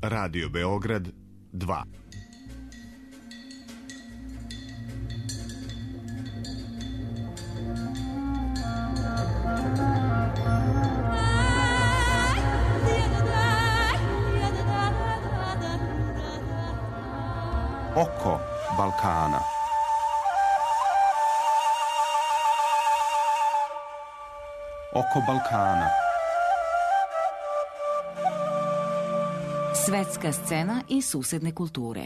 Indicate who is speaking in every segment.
Speaker 1: Radio Beograd 2.
Speaker 2: Oko Balkana. Oko Balkana.
Speaker 3: Svetska scena i susedne kulture.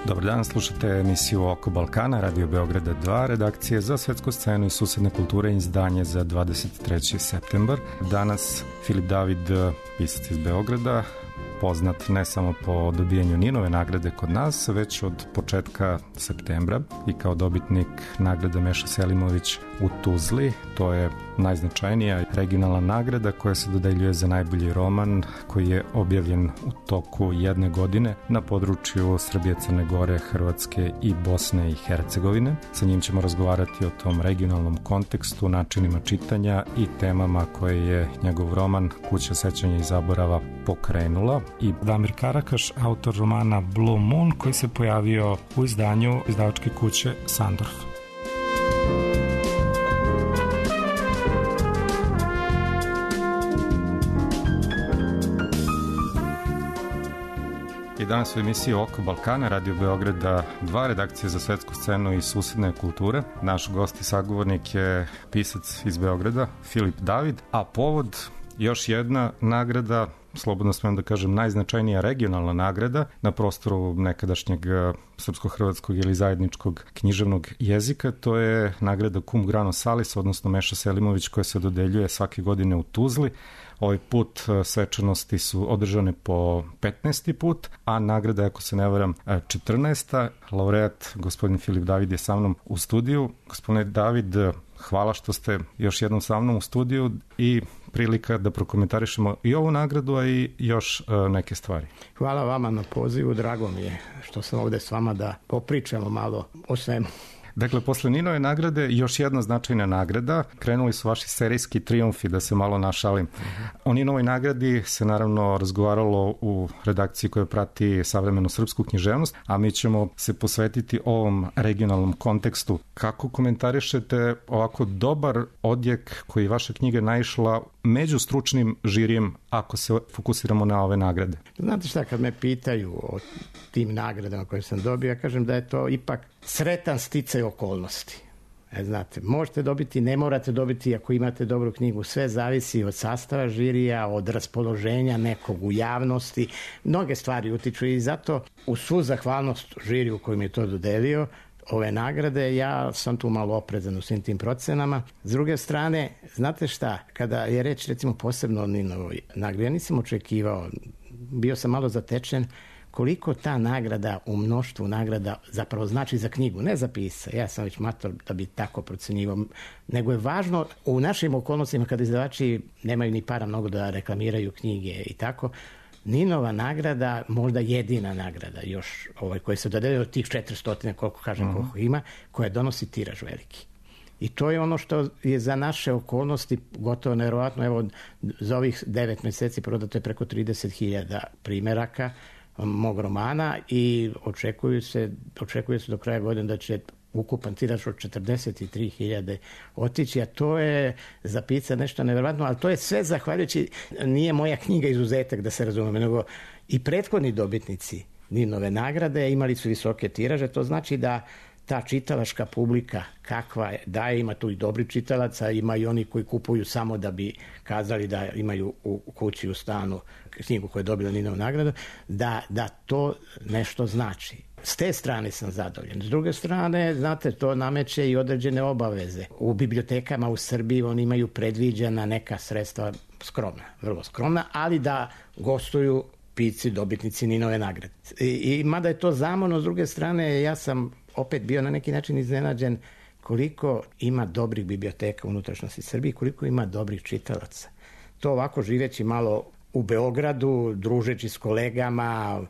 Speaker 4: Dobar dan, slušate emisiju Oko Balkana, Radio Beograda 2, redakcije za svetsku scenu i susedne kulture, izdanje za 23. septembar. Danas Filip David, pisac iz Beograda, poznat ne samo po dobijanju Ninove nagrade kod nas, već od početka septembra i kao dobitnik nagrada Meša Selimović u Tuzli. To je najznačajnija regionalna nagrada koja se dodeljuje za najbolji roman koji je objavljen u toku jedne godine na području Srbije, Crne Gore, Hrvatske i Bosne i Hercegovine. Sa njim ćemo razgovarati o tom regionalnom kontekstu, načinima čitanja i temama koje je njegov roman Kuća sećanja i zaborava pokrenula. I Damir Karakaš, autor romana Blue Moon, koji se pojavio u izdanju izdavačke kuće Sandorf. I danas u emisiji Oko Balkana, Radio Beograda 2, redakcije za svetsku scenu i susedne kulture. Naš gost i sagovornik je pisac iz Beograda, Filip David, a povod još jedna nagrada, slobodno smem da kažem najznačajnija regionalna nagrada na prostoru nekadašnjeg srpsko-hrvatskog ili zajedničkog književnog jezika. To je nagrada Cum Grano Salis, odnosno Meša Selimović, koja se dodeljuje svake godine u Tuzli. Ovaj put svečanosti su održane po 15. put, a nagrada, ako se ne varam, 14. Laureat, gospodin Filip David, je sa mnom u studiju. Gospodine David, hvala što ste još jednom sa mnom u studiju i prilika da prokomentarišemo i ovu nagradu, a i još neke stvari.
Speaker 5: Hvala vama na pozivu, drago mi je što sam ovde s vama da popričamo malo o svemu.
Speaker 4: Dakle, posle Ninove nagrade još jedna značajna nagrada. Krenuli su vaši serijski trijumfi, da se malo našalim. O Ninovoj nagradi se naravno razgovaralo u redakciji koja prati savremenu srpsku književnost, a mi ćemo se posvetiti ovom regionalnom kontekstu. Kako komentarišete ovako dobar odjek koji vaša knjiga naišla među stručnim žirijem, ako se fokusiramo na ove nagrade?
Speaker 5: Znate šta, kad me pitaju o tim nagradama koje sam dobio, ja kažem da je to ipak sretan sticaj okolnosti. Znate, možete dobiti, ne morate dobiti ako imate dobru knjigu, sve zavisi od sastava žirija, od raspoloženja nekog u javnosti, mnoge stvari utiču i zato u svu zahvalnost žiriju koji mi je to dodelio, ove nagrade, ja sam tu malo oprezan u svim tim procenama. S druge strane, znate šta, kada je reč recimo posebno o Ninovoj nagradi, ja nisam očekivao, bio sam malo zatečen koliko ta nagrada u mnoštvu nagrada zapravo znači za knjigu, ne za pisca. Ja sam već mator da bi tako procenjivao, nego je važno u našim okolnostima kada izdavači nemaju ni para mnogo da reklamiraju knjige i tako, Ninova nagrada, možda jedina nagrada još koja se dodeljuje od tih 400, koliko kažem, koliko ima, koja donosi tiraž veliki. I to je ono što je za naše okolnosti gotovo nevjerovatno. Evo, za ovih 9 meseci prodato je preko 30.000 primeraka mog romana i očekuje se do kraja godine da će ukupan tiraž od 43.000 otići, a to je za pisca nešto nevjerovatno, ali to je sve zahvaljujući, nije moja knjiga izuzetak, da se razumemo, nego i prethodni dobitnici Ninove nagrade imali su visoke tiraže, to znači da ta čitalačka publika kakva je, da je, ima tu i dobri čitalaca, ima i oni koji kupuju samo da bi kazali da imaju u kući, u stanu knjigu koja je dobila Ninovu nagradu, da to nešto znači. S te strane sam zadovoljan. S druge strane, znate, to nameće i određene obaveze. U bibliotekama u Srbiji oni imaju predviđena neka sredstva skromna, vrlo skromna, ali da gostuju pisci, dobitnici Ninove nagrade. I mada je to zamorno, s druge strane, ja sam opet bio na neki način iznenađen koliko ima dobrih biblioteka u unutrašnjosti Srbije, koliko ima dobrih čitalaca. To ovako živeći malo u Beogradu, družeći s kolegama,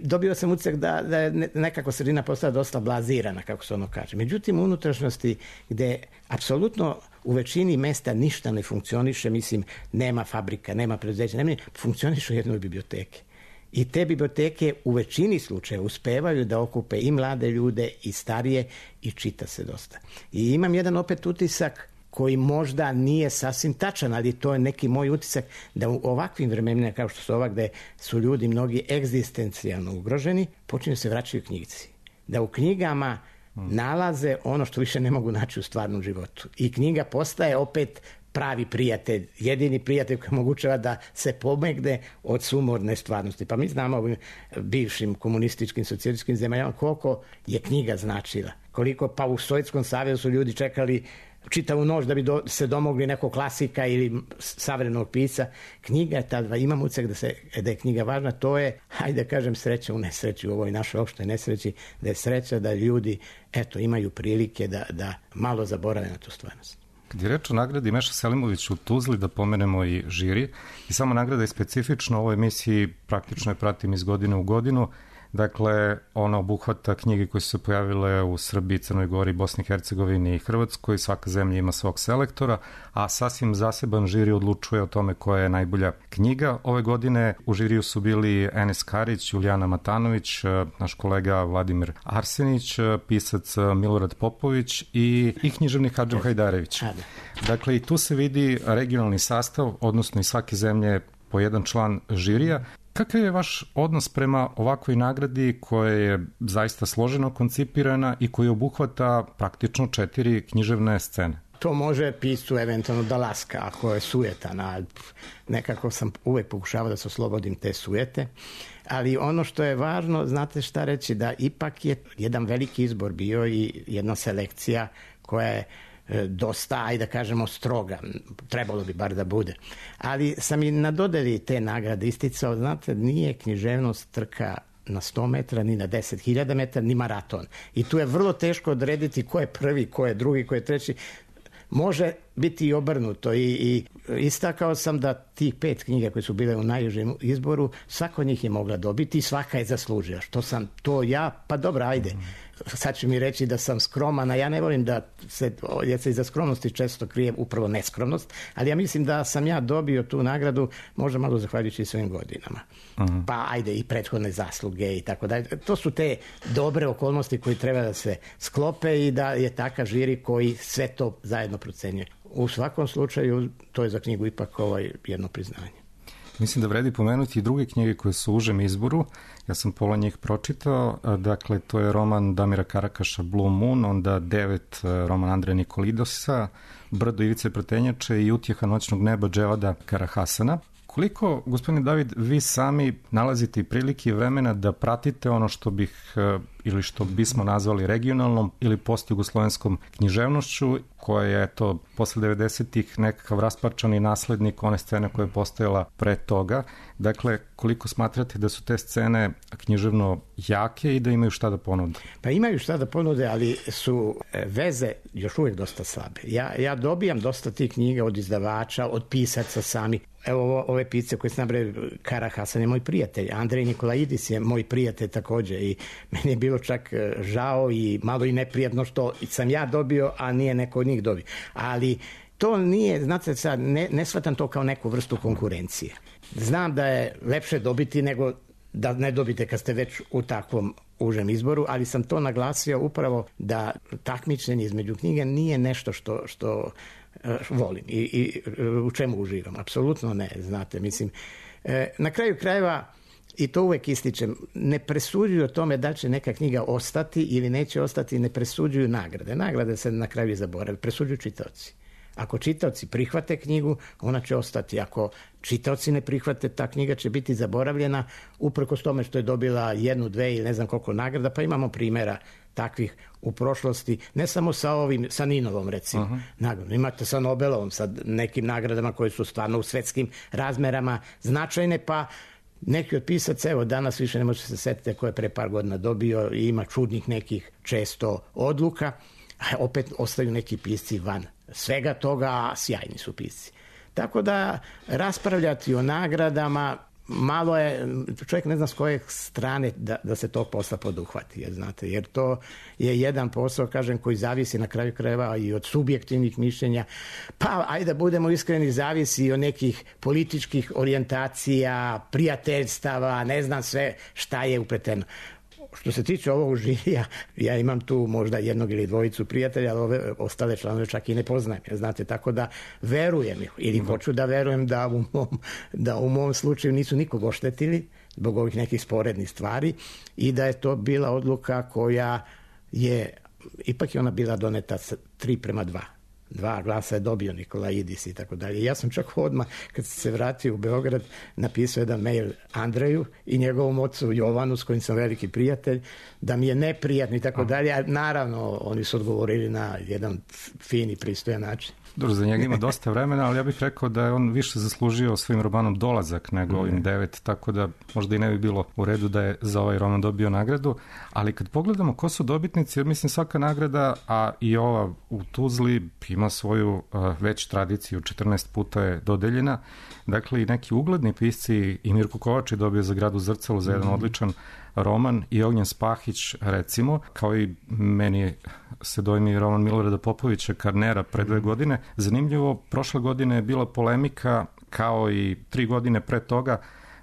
Speaker 5: dobio sam utisak da je nekako sredina postala dosta blazirana, kako se ono kaže. Međutim, u unutrašnjosti gde apsolutno u većini mesta ništa ne funkcioniše, mislim, nema fabrika, nema preduzeća, funkcionišu jednoj biblioteke. I te biblioteke u većini slučaja uspevaju da okupe i mlade ljude i starije i čita se dosta. I imam jedan opet utisak koji možda nije sasvim tačan, ali to je neki moj utisak da u ovakvim vremenima kao što su ova gde su ljudi mnogi egzistencijalno ugroženi, počinju se vraćaju knjigici. Da u knjigama nalaze ono što više ne mogu naći u stvarnom životu. I knjiga postaje opet pravi prijatelj, jedini prijatelj koji omogućava da se pomegne od sumorne stvarnosti. Pa mi znamo ovim bivšim komunističkim, socijalističkim zemljama koliko je knjiga značila. Koliko pa u Sovjetskom savezu su ljudi čekali čitavu noć da bi se domogli nekog klasika ili savremenog pisca. Knjiga je tada, imam utisak da je knjiga važna, to je, hajde da kažem, sreća u nesreći, u ovoj našoj opštoj nesreći, da je sreća da ljudi, eto, imaju prilike da malo zaborave na tu stvarnost.
Speaker 4: Kad je reč o nagradi Meša Selimović u Tuzli, da pomenemo i žiri, i samo nagrada je specifična, u ovoj emisiji praktično je pratim iz godine u godinu. Dakle, ona obuhvata knjige koje su se pojavile u Srbiji, Crnoj Gori, Bosni i Hercegovini i Hrvatskoj. Svaka zemlja ima svog selektora, a sasvim zaseban žiri odlučuje o tome koja je najbolja knjiga. Ove godine u žiriju su bili Enes Karić, Julijana Matanović, naš kolega Vladimir Arsenić, pisac Milorad Popović i književnik Hadžo Hajdarević. Dakle, i tu se vidi regionalni sastav, odnosno iz svake zemlje po jedan član žirija. Kakav je vaš odnos prema ovakvoj nagradi koja je zaista složeno koncipirana i koja obuhvata praktično 4 književne scene?
Speaker 5: To može piscu eventualno da laska, ako je sujetan. Nekako sam uvek pokušavao da se oslobodim te sujete. Ali ono što je važno, znate šta reći, da ipak je jedan veliki izbor bio i jedna selekcija koja je dosta, ajde da kažemo, stroga. Trebalo bi bar da bude. Ali sam i na dodeli te nagrade isticao, znate, nije književnost trka na 100 metra, ni na 10.000 metara, ni maraton. I tu je vrlo teško odrediti ko je prvi, ko je drugi, ko je treći. Može biti i obrnuto i istakao sam da tih 5 knjiga koje su bile u najužem izboru, svaka od njih je mogla dobiti i svaka je zaslužila. Što sam to ja, pa dobro, ajde. Sad ću mi reći da sam skroman, a ja ne volim da jer se iza skromnosti često krije upravo neskromnost, ali ja mislim da sam ja dobio tu nagradu možda malo zahvaljujući svojim godinama. Pa ajde i prethodne zasluge i tako dalje. To su te dobre okolnosti koje treba da se sklope i da je takav žiri koji sve to zajedno procenjuje. U svakom slučaju to je za knjigu ipak jedno priznanje.
Speaker 4: Mislim da vredi pomenuti i druge knjige koje su u užem izboru. Ja sam pola njih pročitao. Dakle, to je roman Damira Karakaša Blue Moon, onda 9 roman Andreja Nikolidosa, Brdo Ivice Pretenjače i Utjeha noćnog neba Dževada Karahasana. Koliko, gospodine David, vi sami nalazite prilike i vremena da pratite ono što ili što bismo nazvali regionalnom ili postjugoslovenskom književnošću, koja je, eto, posle 90-ih nekakav rasparčani naslednik one scene koja je postojala pre toga. Dakle, koliko smatrate da su te scene književno jake i da imaju šta da ponude?
Speaker 5: Pa imaju šta da ponude, ali su veze još uvijek dosta slabe. Ja dobijam dosta tih knjiga od izdavača, od pisaca sami. Evo ove pisce koje se nabraju, Karahasan je moj prijatelj, Andrej Nikolaidis je moj prijatelj također i meni je bilo čak žao i malo i neprijatno što sam ja dobio, a nije neko od njih dobio. Ali to nije, znate sad, ne shvatam to kao neku vrstu konkurencije. Znam da je lepše dobiti nego da ne dobite kad ste već u takvom užem izboru, ali sam to naglasio upravo da takmičenje između knjiga nije nešto što volim i u čemu uživam. Apsolutno ne, znate, mislim. Na kraju krajeva, i to uvek ističem, ne presuđuju o tome da će neka knjiga ostati ili neće ostati, ne presuđuju nagrade. Nagrade se na kraju zaborave, presuđuju čitaoci. Ako čitaoci prihvate knjigu, ona će ostati. Ako čitaoci ne prihvate, ta knjiga će biti zaboravljena uprkos tome što je dobila 1, 2 ili ne znam koliko nagrada, pa imamo primjera takvih u prošlosti, ne samo sa Ninovom, recimo, nagradom. Imate sa Nobelovom, sa nekim nagradama koje su stvarno u svetskim razmerama značajne, pa neki od pisaca, evo danas više ne može se setiti ko je pre par godina dobio i ima čudnih nekih često odluka, a opet ostaju neki pisci van svega toga, a sjajni su pisci. Tako da raspravljati o nagradama malo je, čovjek ne zna s koje strane da se tog posla poduhvati, jer to je jedan posao, kažem, koji zavisi na kraju krajeva i od subjektivnih mišljenja, pa ajde da budemo iskreni, zavisi i od nekih političkih orijentacija, prijateljstava, ne znam sve šta je upleteno. Što se tiče ovog žirija, ja imam tu možda jednog ili dvojicu prijatelja, ali ove ostale članove čak i ne poznajem, znate, tako da verujem ili hoću da verujem da u mom slučaju nisu nikog oštetili zbog ovih nekih sporednih stvari i da je to bila odluka koja je, ipak je ona bila doneta 3:2. 2 glasa je dobio Nikolaidis i tako dalje. Ja sam čak odmah, kad se vratio u Beograd, napisao jedan mail Andreju i njegovom ocu Jovanu, s kojim sam veliki prijatelj, da mi je neprijatno i tako dalje. A naravno, oni su odgovorili na jedan fin i pristojan način.
Speaker 4: Dobro, za njega ima dosta vremena, ali ja bih rekao da je on više zaslužio svojim romanom Dolazak nego ovim 9, tako da možda i ne bi bilo u redu da je za ovaj roman dobio nagradu. Ali kad pogledamo ko su dobitnici, mislim svaka nagrada, a i ova u Tuzli ima svoju već tradiciju, 14 puta je dodeljena. Dakle, i neki ugledni pisci, i Mirko Kovač je dobio za Grad u zrcalu za jedan odličan roman, i Ognjen Spahić, recimo, kao i meni se dojmi roman Milorada Popovića Karnera pre 2 godine. Zanimljivo, prošle godine je bila polemika, kao i 3 godine pre toga,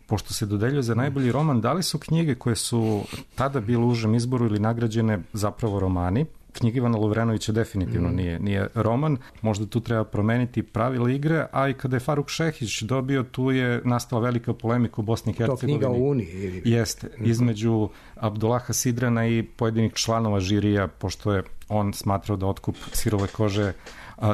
Speaker 4: pošto se dodeljuje za najbolji roman, da li su knjige koje su tada bile u užem izboru ili nagrađene zapravo romani. Knjiga Ivana Lovrenovića definitivno nije roman, možda tu treba promeniti pravila igre, a i kada je Faruk Šehić dobio, tu je nastala velika polemika u Bosni i Hercegovini.
Speaker 5: To knjiga o Uniji?
Speaker 4: Jeste, između Abdullaha Sidrana i pojedinih članova žirija, pošto je on smatrao da otkup sirove kože.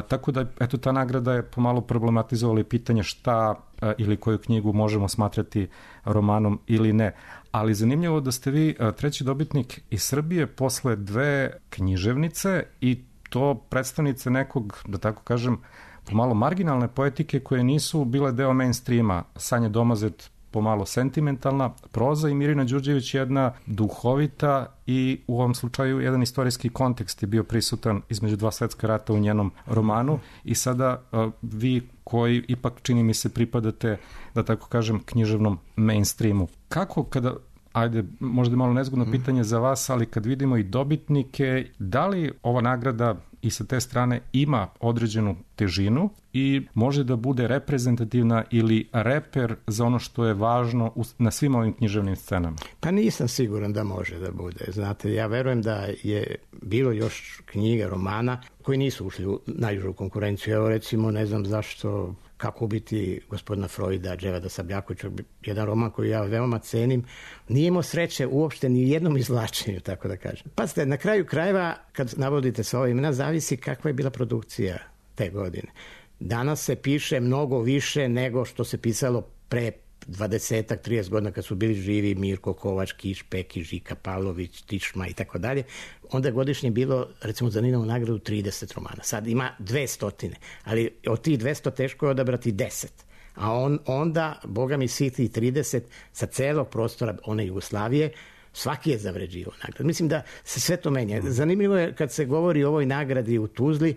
Speaker 4: Tako da, eto, ta nagrada je pomalo problematizovala pitanje šta ili koju knjigu možemo smatrati romanom ili ne. Ali zanimljivo da ste vi treći dobitnik iz Srbije posle 2 književnice i to predstavnice nekog, da tako kažem, pomalo marginalne poetike koje nisu bile deo mainstreama. Sanja Domazet pomalo sentimentalna proza i Mirina Đurđević jedna duhovita i u ovom slučaju jedan istorijski kontekst je bio prisutan između 2 svetska rata u njenom romanu i sada vi koji ipak čini mi se pripadate, da tako kažem, književnom mainstreamu. Kako kada, ajde, možda je malo nezgodno pitanje za vas, ali kad vidimo i dobitnike, da li ova nagrada i sa te strane ima određenu težinu i može da bude reprezentativna ili reper za ono što je važno na svim ovim književnim scenama? Pa
Speaker 5: nisam siguran da može da bude. Znate, ja verujem da je bilo još knjiga, romana koji nisu ušli u najužu konkurenciju. Evo recimo, ne znam zašto Kako ubiti gospodina Freuda, Dževada Sabljakovića, jedan roman koji ja veoma cenim, nije imao sreće uopšte ni u jednom izvlačenju, tako da kažem. Pazite, na kraju krajeva, kad navodite sa ova imena, zavisi kakva je bila produkcija te godine. Danas se piše mnogo više nego što se pisalo pre 20-ak, 30 godina kad su bili živi Mirko Kovač, Kiš, Pekić, Žika Pavlović, Tišma i tako dalje. Onda je godišnje bilo, recimo za Ninovu nagradu, 30 romana. Sad ima 200, ali od tih 200 teško je odabrati 10. A onda, boga mi, svi ti 30 sa celog prostora one Jugoslavije, svaki je zavređivao nagradu. Mislim da se sve to menja. Zanimljivo je kad se govori o ovoj nagradi u Tuzli,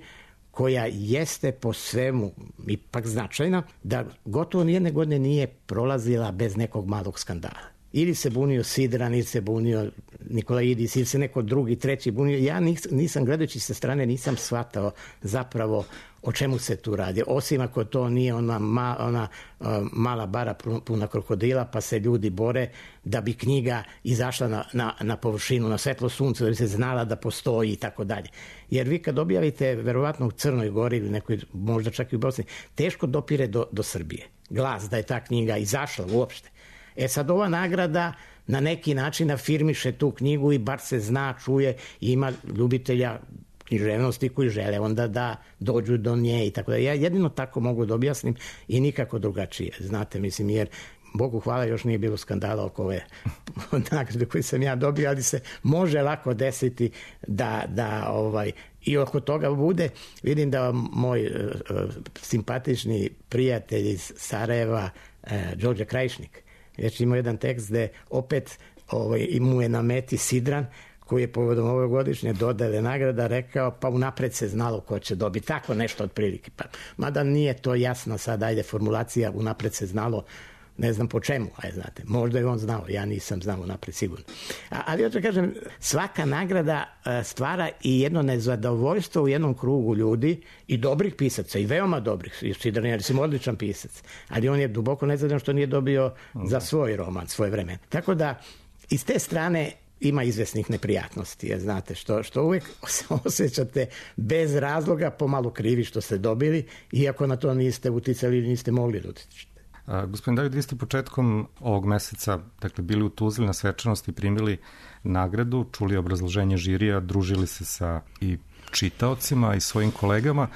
Speaker 5: koja jeste po svemu ipak značajna, da gotovo nijedne godine nije prolazila bez nekog malog skandala. Ili se bunio Sidran, ili se bunio Nikolaidis, ili se neko drugi, treći bunio. Ja nisam, gledajući sa strane, nisam shvatao zapravo o čemu se tu radi. Osim ako to nije ona mala bara puna krokodila, pa se ljudi bore da bi knjiga izašla na površinu, na svetlo sunce, da bi se znala da postoji i tako dalje. Jer vi kad objavite, verovatno u Crnoj Gori ili nekoj, možda čak i u Bosni, teško dopire do Srbije. Glas da je ta knjiga izašla uopšte. Sad ova nagrada na neki način afirmiše tu knjigu i bar se zna, čuje i ima ljubitelja književnosti koji žele onda da dođu do nje i tako da. Ja jedino tako mogu da objasnim i nikako drugačije. Znate, mislim, jer Bogu hvala još nije bilo skandala oko ove nagrade koje sam ja dobio, ali se može lako desiti da i oko toga bude. Vidim da moj simpatični prijatelj iz Sarajeva, Đorđe Krajišnik, već imao jedan tekst gde opet mu je na meti Sidran, koji je povodom ovogodišnje dodele nagrada rekao, pa unapred se znalo ko će dobiti, tako nešto otprilike. Pa, mada nije to jasno sad, ajde, formulacija, unapred se znalo, ne znam po čemu, znate, možda je on znao, ja nisam znao unapred sigurno. Ali hoću kažem, svaka nagrada stvara i jedno nezadovoljstvo u jednom krugu ljudi i dobrih pisaca, i veoma dobrih. Sidran je odličan pisac, ali on je duboko nezadovoljan što nije dobio za svoj roman, svoje vreme. Tako da, iz te strane ima izvesnih neprijatnosti, znate, što uvijek se osjećate bez razloga pomalo krivi što ste dobili, iako na to niste uticali ili niste mogli da utičete.
Speaker 4: Gospodin David, vi ste početkom ovog meseca, dakle, bili u Tuzli na svečanosti, primili nagradu, čuli obrazloženje žirija, družili se sa i čitaocima i svojim kolegama.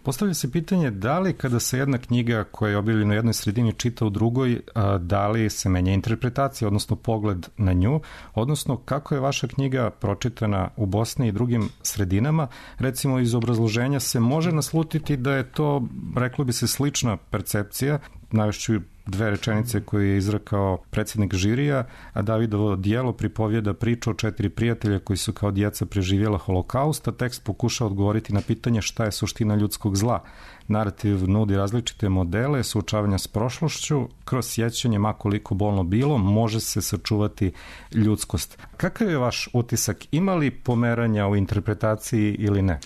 Speaker 4: Postavlja se pitanje da li kada se jedna knjiga koja je objavljena u jednoj sredini čita u drugoj, da li se menja interpretacija, odnosno pogled na nju, odnosno kako je vaša knjiga pročitana u Bosni i drugim sredinama. Recimo iz obrazloženja se može naslutiti da je to, reklo bi se, slična percepcija. Navešću 2 rečenice koje je izrekao predsjednik žirija, a Davidovo dijelo pripovjeda priču o 4 prijatelja koji su kao djeca preživjela holokaust, a tekst pokušao odgovoriti na pitanje šta je suština ljudskog zla. Narativ nudi različite modele suočavanja s prošlošću, kroz sjećanje, ma koliko bolno bilo, može se sačuvati ljudskost. Kakav je vaš utisak? Ima li pomeranja u interpretaciji ili ne?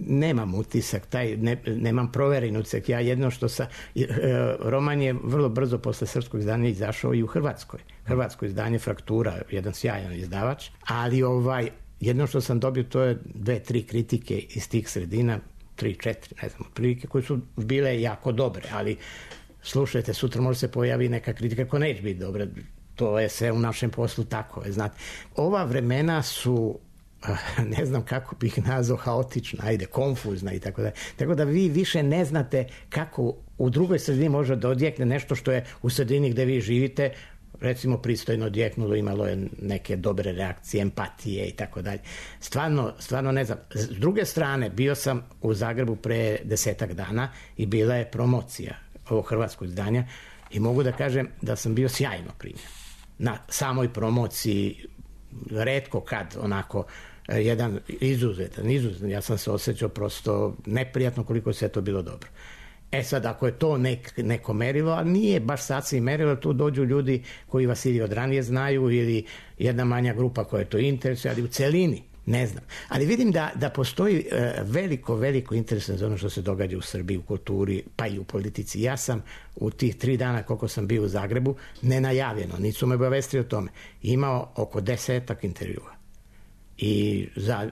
Speaker 5: Nemam utisak, nemam proveren utisak. Ja jedno što roman je vrlo brzo posle srpskog izdanja izašao i u Hrvatskoj. Hrvatsko izdanje Fraktura, jedan sjajan izdavač, ali jedno što sam dobio to je 2-3 kritike iz tih sredina, 3-4, ne znam, prilike koje su bile jako dobre, ali slušajte, sutra može se pojavi neka kritika koja neće biti dobra. To je sve u našem poslu tako, znate. Ova vremena su, ne znam kako bih nazvao, haotična, konfuzna i tako da. Tako da vi više ne znate kako u drugoj sredini može da odjekne nešto što je u sredini gde vi živite, recimo pristojno odjeknulo, imalo je neke dobre reakcije, empatije i tako dalje. Stvarno ne znam. S druge strane, bio sam u Zagrebu pre 10 dana i bila je promocija ovog hrvatskog izdanja i mogu da kažem da sam bio sjajno primjen. Na samoj promociji, retko kad onako jedan izuzetan, ja sam se osjećao prosto neprijatno koliko se to bilo dobro. Sad, ako je to neko merilo, a nije baš sasvim merilo, tu dođu ljudi koji vas ili od ranije znaju ili jedna manja grupa koja to interesuje, ali u celini, ne znam. Ali vidim da postoji veliko interes za ono što se događa u Srbiji, u kulturi, pa i u politici. Ja sam u tih 3 dana koliko sam bio u Zagrebu, nenajavljeno, nisu me obavestili o tome, imao oko 10 intervjua. I za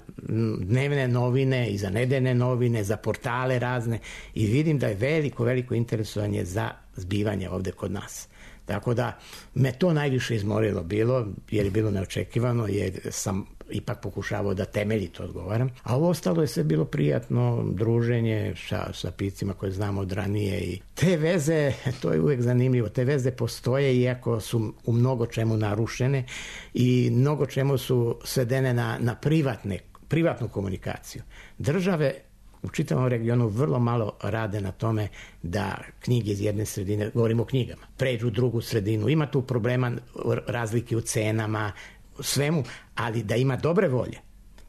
Speaker 5: dnevne novine i za nedeljne novine, za portale razne, i vidim da je veliko interesovanje za zbivanje ovde kod nas. Tako da me to najviše izmorilo bilo, jer je bilo neočekivano, jer sam ipak pokušavao da temeljito odgovaram. A ovo ostalo je sve bilo prijatno, druženje sa piscima koje znamo od ranije. I te veze, to je uvek zanimljivo, te veze postoje iako su u mnogo čemu narušene i mnogo čemu su svedene na privatnu komunikaciju. Države u čitavom regionu vrlo malo rade na tome da knjige iz jedne sredine, govorimo o knjigama, pređu u drugu sredinu. Ima tu problema, razlike u cenama, svemu, ali da ima dobre volje,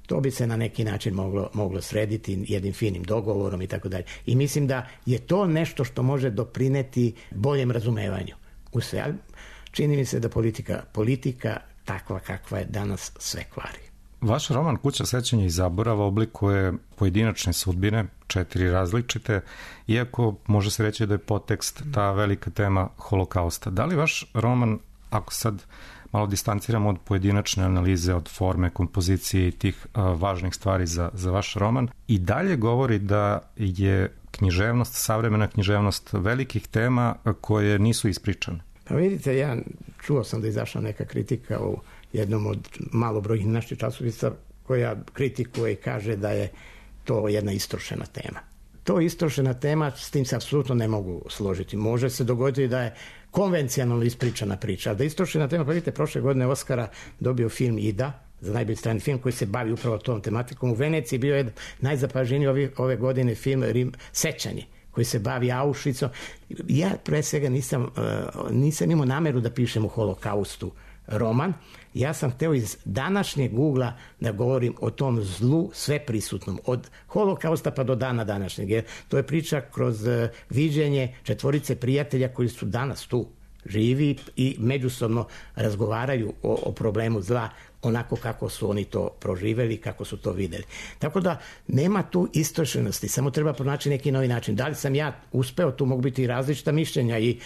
Speaker 5: to bi se na neki način moglo srediti jednim finim dogovorom i tako dalje. I mislim da je to nešto što može doprineti boljem razumevanju u sve. Ali čini mi se da politika takva kakva je danas sve kvari.
Speaker 4: Vaš roman Kuća sećanja i zaborava oblikuje pojedinačne sudbine, 4 različite, iako može se reći da je podtekst ta velika tema holokausta. Da li vaš roman, ako sad malo distanciramo od pojedinačne analize, od forme, kompozicije i tih važnih stvari za vaš roman, i dalje govori da je književnost, savremena književnost velikih tema koje nisu ispričane?
Speaker 5: Pa vidite, čuo sam da izašla neka kritika u jednom od malobrojnih naših časopisa koja kritikuje i kaže da je to jedna istrošena tema. To je istrošena tema, s tim se apsolutno ne mogu složiti. Može se dogoditi da je konvencionalno ispričana priča, ali da je istrošena tema, pa vidite, prošle godine Oskara dobio film Ida, za najbolji strani film koji se bavi upravo tom tematikom. U Veneciji bio je najzapaženiji ove godine film Sećanje, koji se bavi Auschwitzom. Ja pre svega nisam imao nameru da pišem o holokaustu roman, ja sam hteo iz današnjeg ugla da govorim o tom zlu sveprisutnom, od holokausta pa do dana današnjeg. Jer to je priča kroz viđenje 4 prijatelja koji su danas tu živi i međusobno razgovaraju o problemu zla onako kako su oni to proživeli, kako su to videli. Tako da nema tu istošenosti, samo treba pronaći neki novi način. Da li sam ja uspeo, tu mogu biti i različita mišljenja i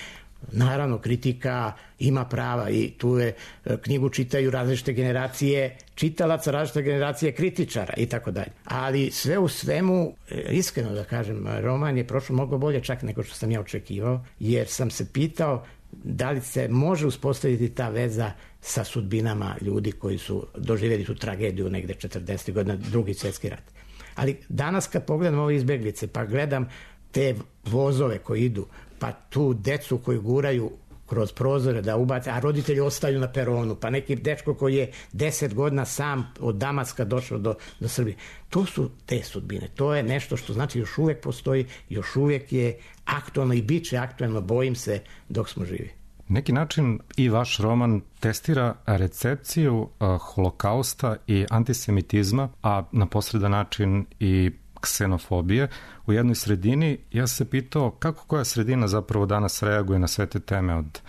Speaker 5: naravno kritika ima prava i tu je, knjigu čitaju različite generacije čitalaca, različite generacije kritičara i tako dalje. Ali sve u svemu, iskreno da kažem, roman je prošlo mnogo bolje čak nego što sam ja očekivao, jer sam se pitao da li se može uspostaviti ta veza sa sudbinama ljudi koji su doživjeli tu tragediju negde 40. godina, Drugi svjetski rat. Ali danas kad pogledam ove izbeglice, pa gledam te vozove koji idu, pa tu decu koji guraju kroz prozore da ubace, a roditelji ostaju na peronu, pa neki dečko koji je 10 godina sam od Damaska došao do Srbije. To su te sudbine. To je nešto što znači još uvijek postoji, još uvijek je aktualno i bit će aktualno, bojim se, dok smo živi.
Speaker 4: Neki način i vaš roman testira recepciju holokausta i antisemitizma, a na posredan način i ksenofobije u jednoj sredini. Ja se pitao kako koja sredina zapravo danas reaguje na sve te teme od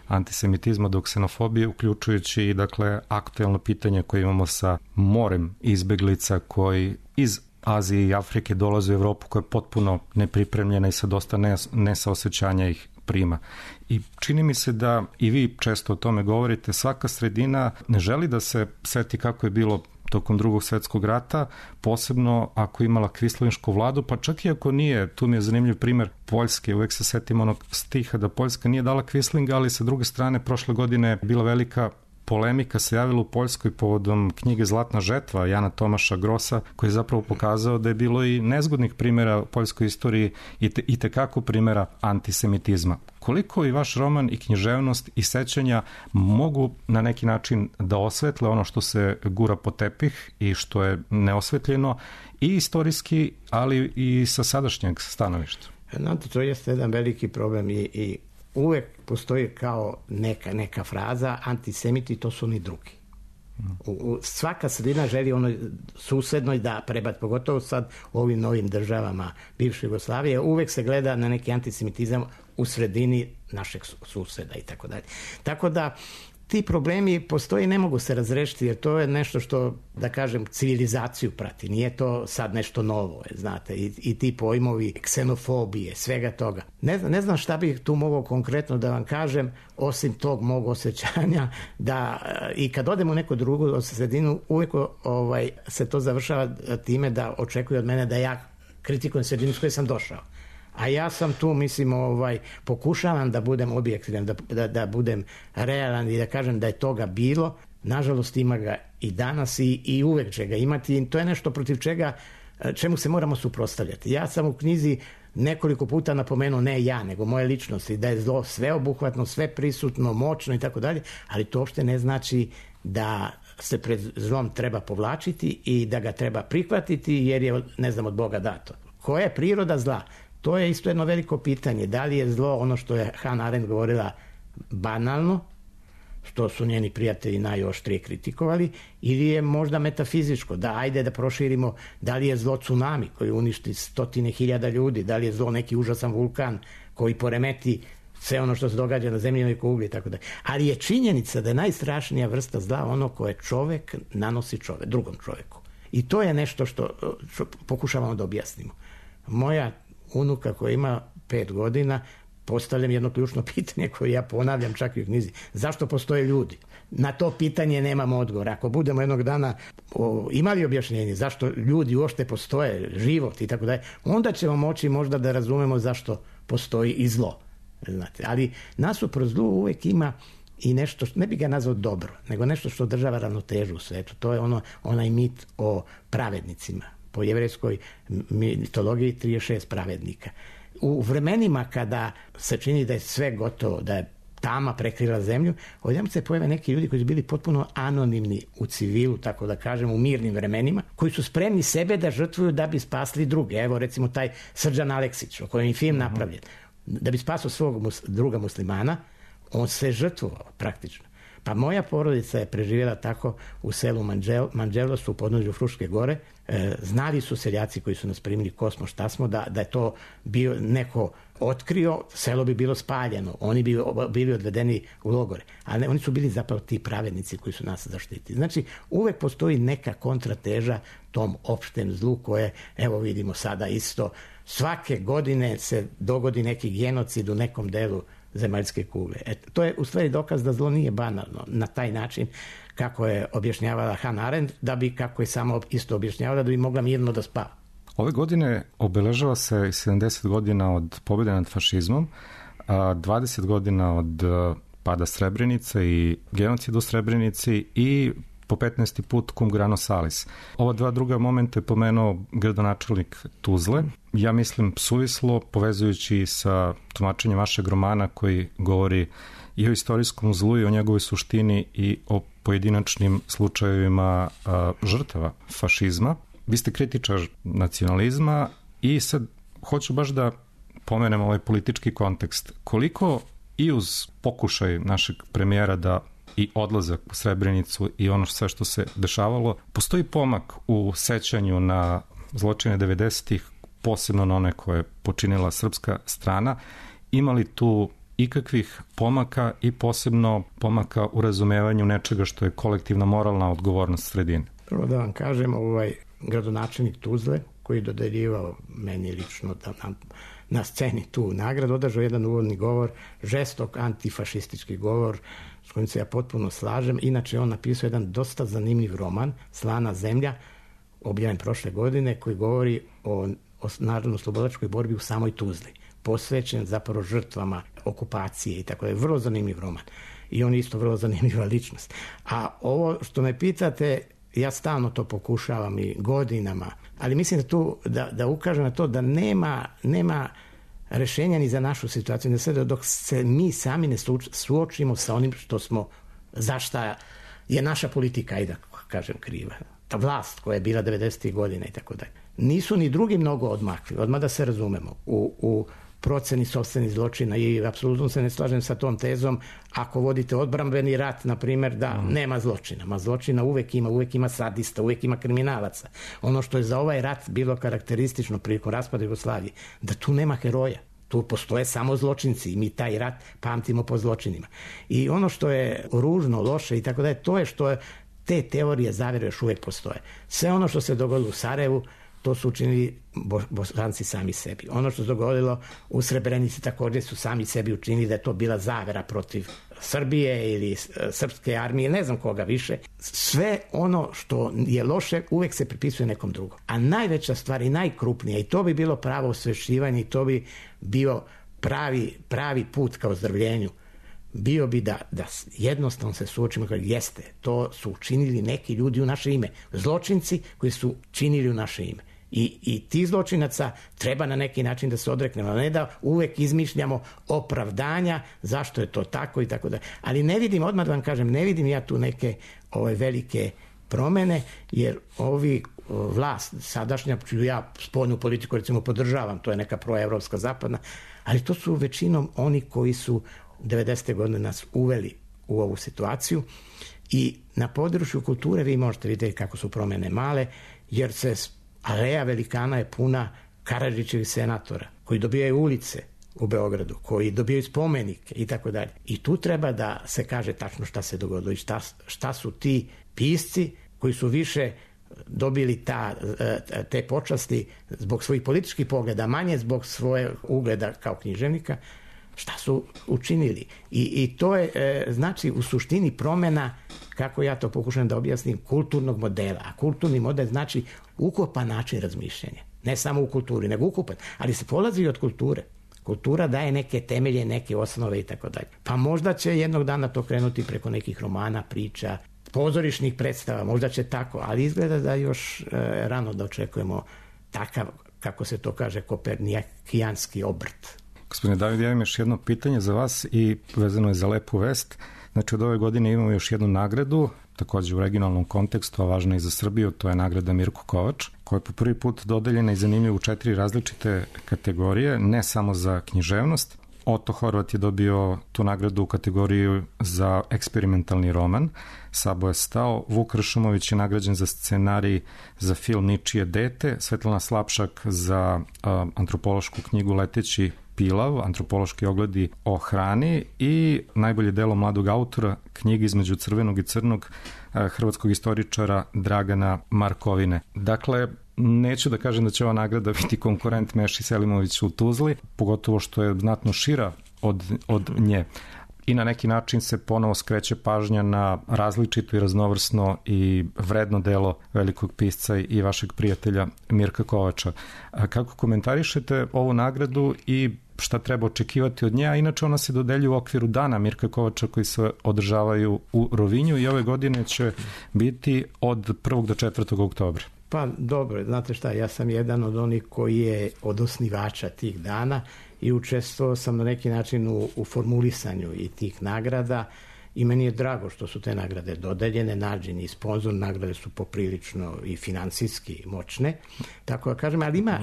Speaker 4: antisemitizma do ksenofobije, uključujući i dakle aktuelno pitanje koje imamo sa morem izbeglica koji iz Azije i Afrike dolaze u Evropu koja je potpuno nepripremljena i sa dosta nesaosećanja ih prima. I čini mi se da i vi često o tome govorite, svaka sredina ne želi da se seti kako je bilo tokom Drugog svjetskog rata, posebno ako je imala kvislinšku vladu, pa čak i ako nije, tu mi je zanimljiv primjer Poljske, uvek se setim onog stiha da Poljska nije dala kvislinga, ali sa druge strane prošle godine je bila velika polemika se javila u Poljskoj povodom knjige Zlatna žetva Jana Tomaša Grosa, koji je zapravo pokazao da je bilo i nezgodnih primjera u poljskoj istoriji i tekako primjera antisemitizma. Koliko i vaš roman i književnost i sećanja mogu na neki način da osvetle ono što se gura po tepih i što je neosvetljeno i istorijski, ali i sa sadašnjeg stanovišta?
Speaker 5: Znate, to jeste jedan veliki problem i uvek postoji kao neka fraza, antisemiti to su oni drugi. Svaka sredina želi onoj susednoj da prebaci, pogotovo sad u ovim novim državama bivše Jugoslavije, uvek se gleda na neki antisemitizam u sredini našeg suseda i tako dalje. Tako da ti problemi postoje i ne mogu se razrešiti, jer to je nešto što, da kažem, civilizaciju prati. Nije to sad nešto novo, znate, i ti pojmovi ksenofobije, svega toga. Ne znam šta bih tu mogao konkretno da vam kažem, osim tog mog osjećanja, da i kad odem u neku drugu sredinu, uvijek se to završava time da očekuje od mene da ja kritikujem sredinu s kojoj sam došao. A ja sam tu, mislim, pokušavam da budem objektivan, da budem realan i da kažem da je toga bilo. Nažalost, ima ga i danas i uvek će ga imati. I to je nešto protiv čemu se moramo suprotstavljati. Ja sam u knjizi nekoliko puta napomenuo, ne ja, nego moje ličnosti, da je zlo sveobuhvatno, sve prisutno, moćno i tako dalje, ali to uopšte ne znači da se pred zlom treba povlačiti i da ga treba prihvatiti jer je, ne znam, od Boga dato. Koja je priroda zla? To je isto jedno veliko pitanje. Da li je zlo ono što je Hannah Arendt govorila banalno, što su njeni prijatelji najoštrije kritikovali, ili je možda metafizičko, da ajde da proširimo, da li je zlo tsunami koji uništi 100.000 ljudi, da li je zlo neki užasan vulkan koji poremeti sve ono što se događa na zemljinoj kugli i tako da. Ali je činjenica da je najstrašnija vrsta zla ono koje čovek nanosi drugom čoveku. I to je nešto što pokušavamo da objasnimo. Moja unuka koja ima 5 godina, postavljam jedno ključno pitanje koje ja ponavljam čak i u knjizi. Zašto postoje ljudi? Na to pitanje nemamo odgovor. Ako budemo jednog dana imali objašnjenje zašto ljudi uopšte postoje, život i tako dalje, onda ćemo moći možda da razumemo zašto postoji i zlo. Znate, ali nasuprot zlu uvek ima i nešto, ne bi ga nazvao dobro, nego nešto što održava ravnotežu u svetu. To je onaj mit o pravednicima. Po jevrejskoj mitologiji 36 pravednika. U vremenima kada se čini da je sve gotovo, da je tama prekrila zemlju, odjednom se pojave neki ljudi koji su bili potpuno anonimni u civilu, tako da kažem, u mirnim vremenima, koji su spremni sebe da žrtvuju da bi spasli druge. Evo recimo taj Srđan Aleksić, o kojem je film napravljen. Da bi spasao svog druga muslimana, on se žrtvovao praktično. Pa moja porodica je preživjela tako u selu Manđelos u podnožju Fruške gore. Znali su seljaci koji su nas primili ko smo, šta smo, da je to bio neko otkrio, selo bi bilo spaljeno, oni bi bili odvedeni u logore. Ali oni su bili zapravo ti pravednici koji su nas zaštitili. Znači, uvek postoji neka kontrateža tom opštem zlu koje, evo vidimo sada isto, svake godine se dogodi neki genocid u nekom delu zemaljske kugle. To je u stvari dokaz da zlo nije banalno na taj način kako je objašnjavala Hannah Arendt, da bi, kako je samo isto objašnjavala, da bi mogla mirno da spava.
Speaker 4: Ove godine obeležava se 70 godina od pobjede nad fašizmom, 20 godina od pada Srebrenice i genocida u Srebrenici i po 15. put cum grano salis. Ova dva druga momenta je pomenuo gradonačelnik Tuzle. Ja mislim suvislo, povezujući sa tumačenjem vašeg romana koji govori i o istorijskom zlu i o njegovoj suštini i o pojedinačnim slučajevima žrtava fašizma. Vi ste kritičar nacionalizma i sad hoću baš da pomenem ovaj politički kontekst. Koliko i uz pokušaj našeg premijera da i odlazak u Srebrenicu i ono sve što se dešavalo, postoji pomak u sećanju na zločine 90-ih, posebno na one koje je počinila srpska strana. Ima li tu ikakvih pomaka i posebno pomaka u razumevanju nečega što je kolektivna moralna odgovornost sredine?
Speaker 5: Prvo da vam kažem, gradonačelnik Tuzle, koji je dodeljivao meni lično na sceni tu nagradu, održao jedan uvodni govor, žestok antifašistički govor, s kojim se ja potpuno slažem. Inače, on napisao jedan dosta zanimljiv roman, Slana zemlja, objavljen prošle godine, koji govori o narodno-slobodilačkoj borbi u samoj Tuzli, posvećen zapravo žrtvama okupacije i tako da je vrlo zanimljiv roman. I on je isto vrlo zanimljiva ličnost. A ovo što me pitate, ja stalno to pokušavam i godinama, ali mislim da tu, da ukažem na to da nema rešenja ni za našu situaciju, da sve dok se mi sami ne suočimo sa onim što smo, za šta je naša politika, ajde da kažem, kriva. Ta vlast koja je bila 90. godina i tako dalje. Nisu ni drugi mnogo odmakli, odmah da se razumemo, u proceni sopstvenih zločina i apsolutno se ne slažem sa tom tezom ako vodite odbrambeni rat, na primjer, da nema zločina. Ma zločina uvek ima sadista, uvek ima kriminalaca. Ono što je za ovaj rat bilo karakteristično prilikom raspada Jugoslavije, da tu nema heroja. Tu postoje samo zločinci i mi taj rat pamtimo po zločinima. I ono što je ružno, loše i tako da je, to je što je, te teorije zavere još uvek postoje. Sve ono što se dogodilo u Sarajevu, to su učinili Bosanci sami sebi. Ono što se dogodilo u Srebrenici također su sami sebi učinili da je to bila zavera protiv Srbije ili srpske armije, ne znam koga više. Sve ono što je loše uvek se pripisuje nekom drugom. A najveća stvar i najkrupnija, i to bi bilo pravo osvešćivanje, i to bi bio pravi put ka ozdravljenju, bio bi da jednostavno se suočimo kao jeste, to su učinili neki ljudi u naše ime. Zločinci koji su činili u naše ime. I ti zločinaca treba na neki način da se odreknemo, a ne da uvek izmišljamo opravdanja zašto je to tako i tako da. Ali ne vidim, odmah da vam kažem, ne vidim ja tu neke velike promene, jer ovi vlast sadašnja, čiju ja spoljnu politiku recimo podržavam, to je neka proevropska zapadna, ali to su većinom oni koji su 90. godine nas uveli u ovu situaciju i na području kulture vi možete vidjeti kako su promene male, jer se aleja velikana je puna Karadžićevih senatora koji dobijaju ulice u Beogradu, koji dobijaju spomenike i tako dalje. I tu treba da se kaže tačno šta se dogodilo i šta su ti pisci koji su više dobili te počasti zbog svojih političkih pogleda, manje zbog svoje ugleda kao književnika, šta su učinili. I to je, znači, u suštini promena, kako ja to pokušam da objasnim, kulturnog modela. A kulturni model znači ukupan način razmišljanja. Ne samo u kulturi, nego ukupan. Ali se polazi i od kulture. Kultura daje neke temelje, neke osnove i tako dalje. Pa možda će jednog dana to krenuti preko nekih romana, priča, pozorišnih predstava, možda će tako, ali izgleda da još rano da očekujemo takav, kako se to kaže, kopernikijanski obrt.
Speaker 4: Gospodine David, ja imam još jedno pitanje za vas i vezano je za Lepu vest. Znači, od ove godine imamo još jednu nagradu, također u regionalnom kontekstu, a važna i za Srbiju, to je nagrada Mirko Kovač, koja je po prvi put dodeljena i zanimljiva u 4 različite kategorije, ne samo za književnost. Otto Horvat je dobio tu nagradu u kategoriji za eksperimentalni roman. Sabo je stao. Vuk Ršumović je nagrađen za scenarij za film Ničije dete. Svetlana Slapšak za antropološku knjigu Leteći pilav, antropološki ogledi o hrani i najbolje delo mladog autora, knjiga Između crvenog i crnog, hrvatskog istoričara Dragana Markovine. Dakle, neću da kažem da će ova nagrada biti konkurent Meši Selimoviću u Tuzli, pogotovo što je znatno šira od nje. I na neki način se ponovo skreće pažnja na različito i raznovrsno i vredno delo velikog pisca i vašeg prijatelja Mirka Kovača. Kako komentarišete ovu nagradu i šta treba očekivati od nje, a inače ona se dodeljuje u okviru dana Mirka Kovača koji se održavaju u Rovinju i ove godine će biti od 1. do 4. oktobra.
Speaker 5: Pa dobro, znate šta, ja sam jedan od onih koji je od osnivača tih dana i učestvovao sam na neki način u formulisanju i tih nagrada i meni je drago što su te nagrade dodeljene, nađeni i sponzor, nagrade su poprilično i finansijski moćne, tako da kažem, ali ima